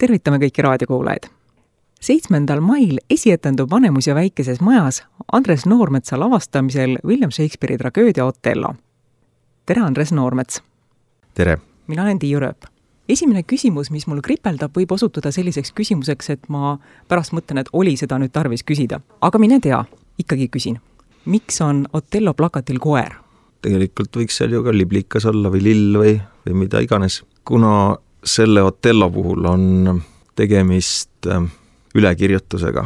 Tervitame kõiki raadiokuulajaid. 7. mail esietendub Vanemuise väikeses majas Andres Noormetsa lavastamisel William Shakespeare'i tragöödia Othello. Tere, Andres Noormets! Tere! Mina olen Tiiu Rööp. Esimene küsimus, mis mul kripeldab, võib osutuda selliseks küsimuseks, et ma pärast mõtlen, et oli seda nüüd tarvis küsida. Aga mine tea, ikkagi küsin. Miks on Othello plakatil koer? Tegelikult võiks seal ju ka liblikas olla või lill või mida iganes. Kuna selle Othello puhul on tegemist ülekirjutusega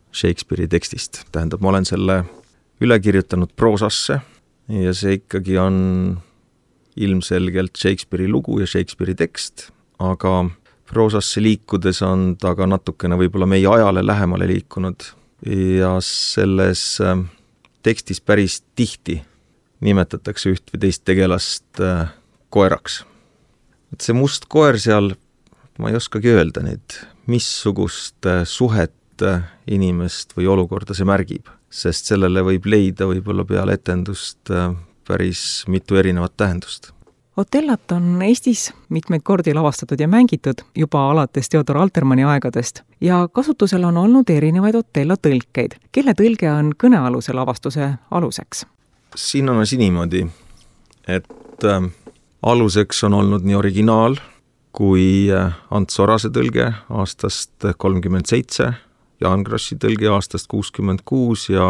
Shakespeare'i tekstist. Tähendab, ma olen selle ülekirjutanud proosasse ja see ikkagi on ilmselgelt Shakespeare'i lugu ja Shakespeare'i tekst, aga proosasse liikudes on ta ka natukene võib-olla meie ajale lähemale liikunud ja selles tekstis päris tihti nimetatakse üht või teist tegelast koeraks. Et see must koer seal, ma ei oskagi öelda nüüd, missugust suhet inimest või olukorda see märgib, sest sellele võib leida võib-olla peale etendust päris mitu erinevat tähendust. Otellot on Eestis mitmeid kordi lavastatud ja mängitud juba alates Theodor Altermanni aegadest ja kasutusel on olnud erinevaid Othello tõlkeid. Kelle tõlge on kõnealuse lavastuse aluseks? Siin on asi niimoodi, et aluseks on olnud nii originaal kui Ants Orase tõlge aastast 37, Jaan Krossi tõlge aastast 66 ja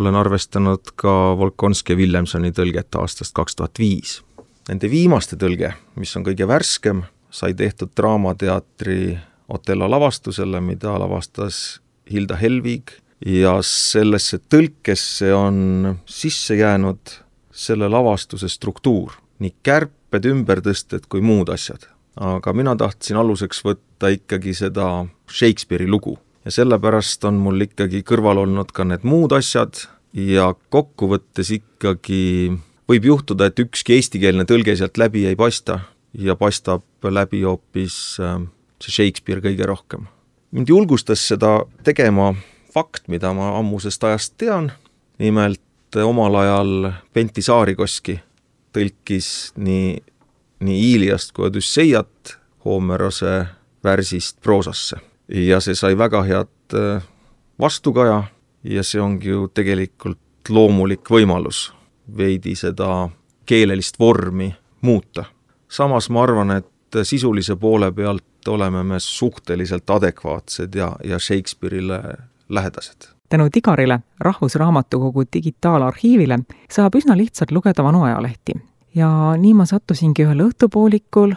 olen arvestanud ka Volkonski ja Williamsoni tõlget aastast 2005. Nende viimaste tõlge, mis on kõige värskem, sai tehtud Draamateatri Othello lavastusele, mida lavastas Hilda Helvig ja sellesse tõlkesse on sisse jäänud selle lavastuse struktuur, nii kärped, ümbertõsted kui muud asjad. Aga mina tahtsin aluseks võtta ikkagi seda Shakespeare'i lugu ja sellepärast on mul ikkagi kõrval olnud ka need muud asjad ja kokkuvõttes ikkagi võib juhtuda, et ükski eestikeelne tõlge sealt läbi ei paista ja paistab läbi hoopis see Shakespeare kõige rohkem. Mind julgustas seda tegema fakt, mida ma ammusest ajast tean, nimelt omal ajal Pentti Saarikoski tõlkis nii Iiliast kui Odysseiat Homerose värsist proosasse. Ja see sai väga head vastukaja ja see ongi ju tegelikult loomulik võimalus veidi seda keelelist vormi muuta. Samas ma arvan, et sisulise poole pealt oleme me suhteliselt adekvaatsed ja Shakespeare'ile lähedased. Tänu Tigarile, Rahvusraamatukogu digitaalarhiivile, saab üsna lihtsalt lugeda vanu ajalehti. Ja nii ma sattusingi ühel õhtupoolikul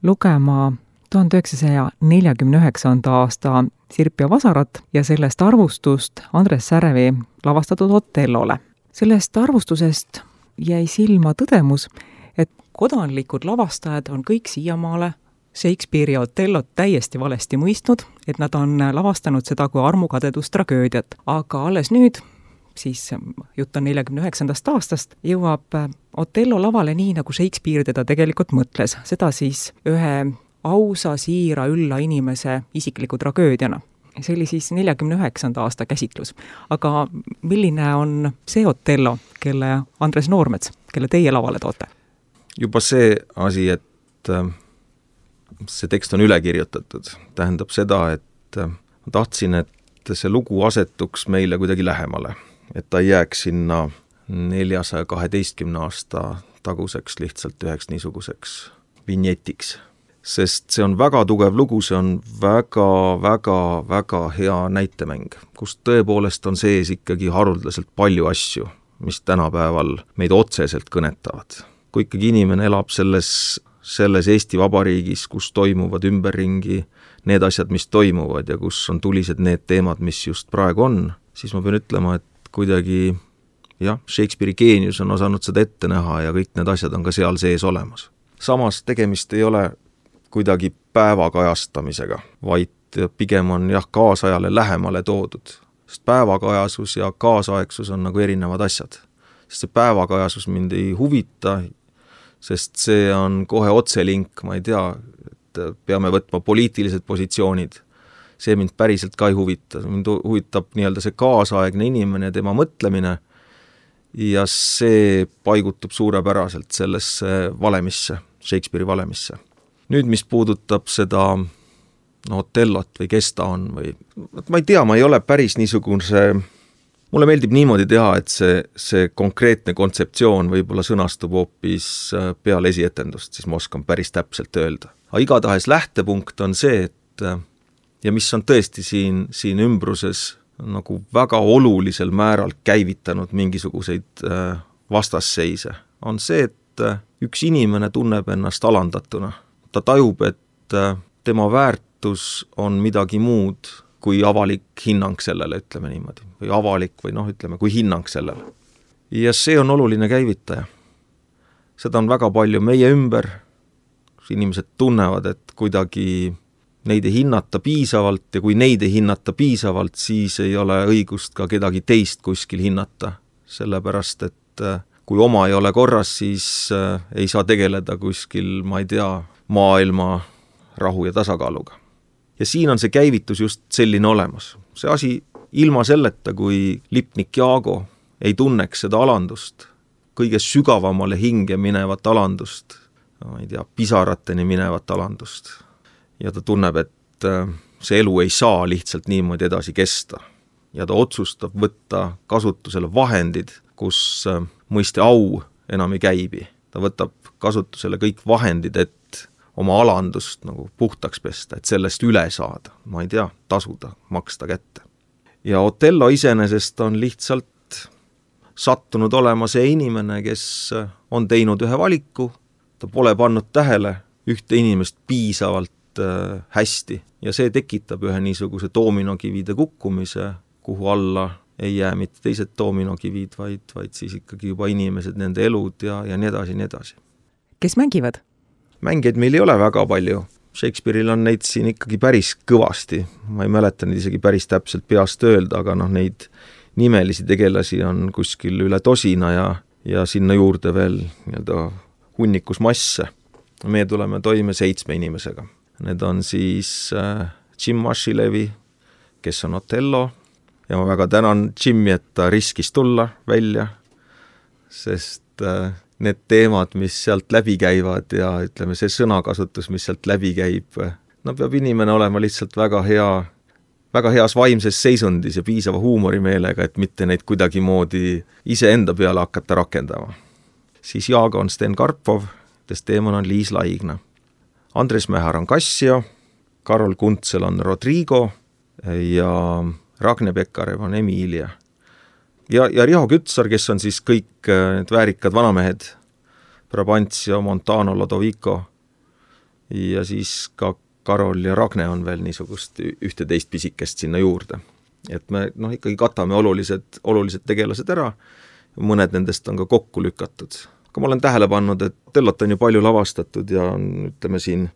lugema 1949. aasta Sirp ja Vasarat ja sellest arvustust Andres Särevi lavastatud Othellole. Sellest arvustusest jäi silma tõdemus, et kodanlikud lavastajad on kõik siiamaale Shakespeare'i Othellot täiesti valesti mõistnud, et nad on lavastanud seda kui armukadedus-tragöödiat, aga alles nüüd, siis jutt on 49. aastast, jõuab Othello lavale nii, nagu Shakespeare teda tegelikult mõtles, seda siis ühe ausa, siira, ülla inimese isikliku tragöödiana. See oli siis 49. aasta käsitlus. Aga milline on see Othello, kelle Andres Noormets, kelle teie lavale toote? Juba see asi, et see tekst on üle kirjutatud, tähendab seda, et ma tahtsin, et see lugu asetuks meile kuidagi lähemale, et ta ei jääks sinna 412 aasta taguseks lihtsalt üheks niisuguseks vinjetiks. Sest see on väga tugev lugu, see on väga hea näitemäng, kus tõepoolest on sees ikkagi haruldaselt palju asju, mis tänapäeval meid otseselt kõnetavad. Kui ikkagi inimene elab selles Eesti Vabariigis, kus toimuvad ümberringi need asjad, mis toimuvad ja kus on tulised need teemad, mis just praegu on, siis ma pean ütlema, et kuidagi Shakespeare'i geenius on osanud seda ette näha ja kõik need asjad on ka seal sees olemas. Samas tegemist ei ole kuidagi päevakajastamisega, vaid pigem on kaasajale lähemale toodud. Sest päevakajasus ja kaasaegsus on nagu erinevad asjad. Sest see päevakajasus mind ei huvita, sest see on kohe otselink, ma ei tea, et peame võtma poliitilised positsioonid. See mind päriselt ka ei huvita. Mind huvitab nii-öelda see kaasaegne inimene ja tema mõtlemine ja see paigutub suurepäraselt sellesse valemisse, Shakespeare'i valemisse. Nüüd, mis puudutab seda Otellot või kes ta on või ma ei tea, ma ei ole päris niisugune, mulle meeldib niimoodi teha, et see konkreetne kontseptsioon võib-olla sõnastub hoopis peale esietendust, siis ma oskan päris täpselt öelda. Aga igatahes lähtepunkt on see, et ja mis on tõesti siin ümbruses nagu väga olulisel määral käivitanud mingisuguseid vastasseise, on see, et üks inimene tunneb ennast alandatuna. Ta tajub, et tema väärtus on midagi muud kui avalik hinnang sellele, ütleme niimoodi. Või avalik või ütleme, kui hinnang sellele. Ja see on oluline käivitaja. Seda on väga palju meie ümber. Inimesed tunnevad, et kuidagi neid ei hinnata piisavalt ja kui neid ei hinnata piisavalt, siis ei ole õigust ka kedagi teist kuskil hinnata. Sellepärast, et kui oma ei ole korras, siis ei saa tegeleda kuskil, ma ei tea, maailma rahu ja tasakaaluga. Ja siin on see käivitus just selline olemas. See asi ilma selleta, kui lipnik Jaago ei tunneks seda alandust, kõige sügavamale hinge minevat alandust, ma ei tea, pisarateni minevat alandust. Ja ta tunneb, et see elu ei saa lihtsalt niimoodi edasi kesta. Ja ta otsustab võtta kasutusele vahendid, kus mõiste au enam ei käibi. Ta võtab kasutusele kõik vahendid, et oma alandust nagu puhtaks pesta, et sellest üle saada, ma ei tea, tasuda, maksta kätte. Ja Otello iseenesest on lihtsalt sattunud olema see inimene, kes on teinud ühe valiku, ta pole pannud tähele ühte inimest piisavalt hästi ja see tekitab ühe niisuguse doominokivide kukkumise, kuhu alla ei jää mitte teised doominokivid, vaid siis ikkagi juba inimesed, nende elud ja nii edasi, nii edasi. Kes mängivad? Mängijaid meil ei ole väga palju. Shakespeare'il on neid siin ikkagi päris kõvasti. Ma ei mäleta neid isegi päris täpselt peast öelda, aga neid nimelisi tegelasi on kuskil üle tosina ja sinna juurde veel hunnikus masse. Meie tuleme toime 7 inimesega. Need on siis Jim Mashilevi, kes on Otello, ja ma väga tänan Jimmy, et ta riskis tulla välja, sest need teemad, mis sealt läbi käivad ja ütleme, see sõnakasutus, mis sealt läbi käib, peab inimene olema lihtsalt väga heas vaimses seisundis ja piisava huumorimeelega, et mitte neid kuidagimoodi iseenda peale hakata rakendama. Siis Jaago on Sten Karpov, Desdemona on Liis Laigna. Andres Mähar on Cassio, Karol Kuntsel on Rodrigo ja Ragne Pekarev on Emilia. Ja Riho Kütsar, kes on siis kõik need väärikad vanamehed, Brabantio, Montano, Lodovico ja siis ka Karol ja Ragne on veel niisugust 11 pisikest sinna juurde. Et me ikkagi katame olulised tegelased ära, mõned nendest on ka kokku lükatud. Aga ma olen tähele pannud, et Otellot on ju palju lavastatud ja ütleme siin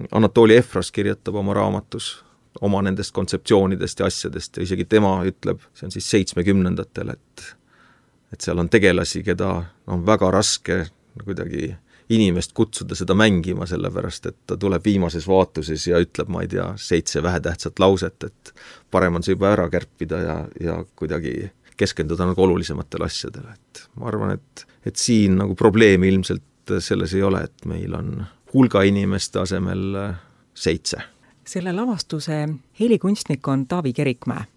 Anatoli Efros kirjutab oma raamatus oma nendest kontseptsioonidest ja asjadest ja isegi tema ütleb, see on siis 70-ndatel, et seal on tegelasi, keda on väga raske kuidagi inimest kutsuda seda mängima, sellepärast et ta tuleb viimases vaatuses ja ütleb, ma ei tea, 7 vähetähtsat lauset, et parem on see juba ära kärpida ja kuidagi keskenduda nagu olulisematele asjadele. Et ma arvan, et siin nagu probleemi ilmselt selles ei ole, et meil on hulga inimeste asemel 7. Selle lavastuse helikunstnik on Taavi Kerikmäe.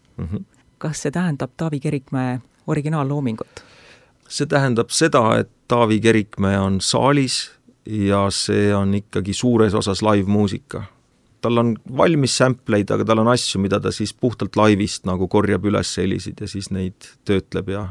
Kas see tähendab Taavi Kerikmäe originaalloomingut? See tähendab seda, et Taavi Kerikmäe on saalis ja see on ikkagi suures osas live-muusika. Tal on valmis sampleid, aga tal on asju, mida ta siis puhtalt laivist nagu korjab üles helisid ja siis neid töötleb ja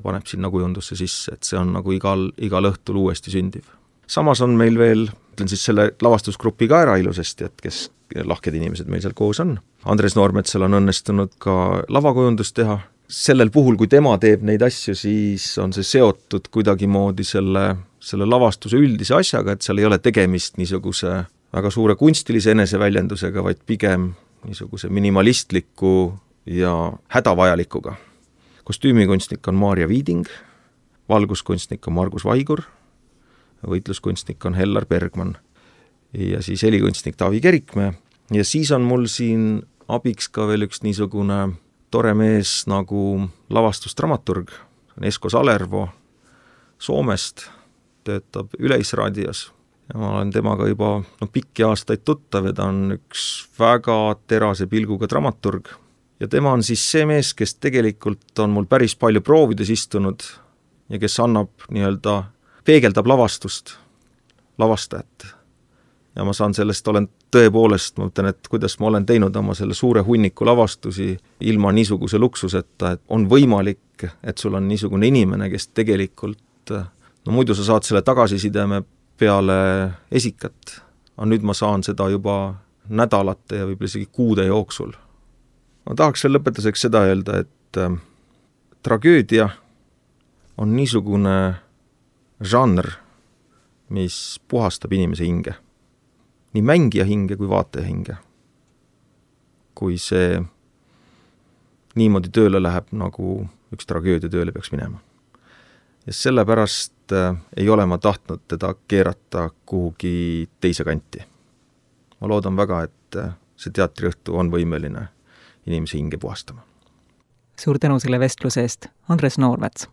paneb sinna kujundusse sisse, et see on nagu igal õhtul uuesti sündiv. Samas on meil veel, ütlen siis selle lavastusgrupi ka ära ilusasti, et kes lahked inimesed meil seal koos on. Andres Noormetsal on õnnestunud ka lavakujundust teha. Sellel puhul, kui tema teeb neid asju, siis on see seotud kuidagimoodi selle lavastuse üldise asjaga, et seal ei ole tegemist niisuguse väga suure kunstilise eneseväljendusega, vaid pigem niisuguse minimalistliku ja hädavajalikuga. Kostüümikunstnik on Maarja Viiding, valguskunstnik on Margus Vaigur, võitluskunstnik on Hellar Bergman ja siis helikunstnik Taavi Kerikmäe. Ja siis on mul siin abiks ka veel üks niisugune tore mees nagu lavastusdramaturg, Esko Salervo Soomest, töötab Yleisradios. ja ma olen temaga juba pikki aastaid tuttav ja ta on üks väga terase pilguga dramaturg. Ja tema on siis see mees, kes tegelikult on mul päris palju proovides istunud ja kes annab peegeldab lavastust, lavastajat. Ja ma saan sellest, olen tõepoolest, ma mõtlen, et kuidas ma olen teinud oma selle suure hunniku lavastusi ilma niisuguse luksuseta, et on võimalik, et sul on niisugune inimene, kes tegelikult, muidu sa saad selle tagasisideme peale esikat, aga nüüd ma saan seda juba nädalate ja võib-olla isegi kuude jooksul. Ma tahaks veel lõpetuseks seda öelda, et tragöödia on niisugune žanr, mis puhastab inimese hinge. Nii mängija hinge kui vaataja hinge. Kui see niimoodi tööle läheb, nagu üks tragöödia tööle peaks minema. Ja sellepärast ei ole ma tahtnud teda keerata kuhugi teise kanti. Ma loodan väga, et see teatriõhtu on võimeline inimese hinge puhastama. Suur tänu selle vestluse eest, Andres Noormets!